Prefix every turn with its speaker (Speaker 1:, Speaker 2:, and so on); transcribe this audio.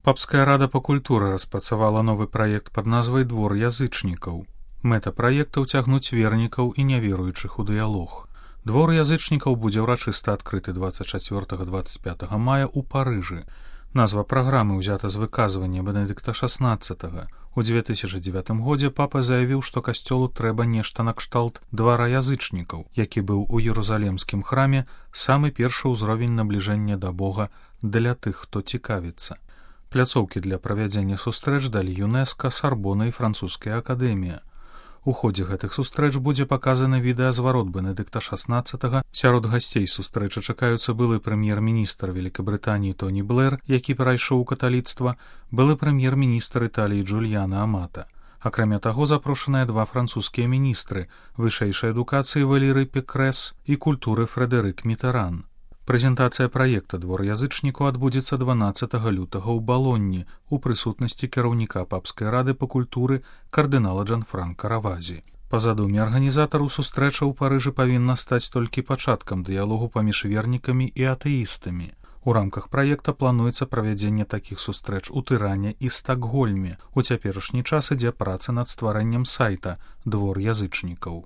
Speaker 1: Папская рада па культуры распрацавала новы праект пад назвай «Двор язычнікаў». Мэта праекта ўцягнуць вернікаў і няверуючых у дыялог. Двор язычнікаў будзе ўрачыста адкрыты 24-25 мая ў Парыжы. Назва праграмы ўзята з выказвання Бенедыкта XVI. У 2009 годзе папа заявіў, што касцёлу трэба нешта накшталт двара язычнікаў, які быў у Єрусалемскім храме самы першы ўзровень набліжэння да Бога для тых, хто цікавіцца. Пляцоўкі для правядзення сустрэч далі ЮНЕСКА, Сарбона і Французская акадэмія. У ходзе гэтых сустрэч будзе паказаны відэазварот Бенедыкта XVI. Сярод гасцей сустрэчы чакаюцца былы прэм'ер-міністр Великабрытаніі Тоні Блэр, які перайшоў у каталіцтва, былы прэм'ер-міністр Італіі Джульяна Амата. Акрамя таго, запрошаныя два французскія міністры вышэйшай адукацыі Валерый Пекрэс і культуры Фрэдэрык Мітэран. Прэзентацыя праекта «Двор язычнікаў» адбудзецца 12 лютага ў Балонні у прысутнасці кіраўніка папскай рады па культуры кардынала Джанфранка Равазі. Па задуме арганізатараў сустрэча ў Парыжы павінна стаць толькі пачаткам дыялогу паміж вернікамі і атэістамі. У рамках праекта плануецца правядзенне такіх сустрэч у Тыране і Стакгольме. У цяперашні час ідзе праца над стварэннем сайта «Двор язычнікаў».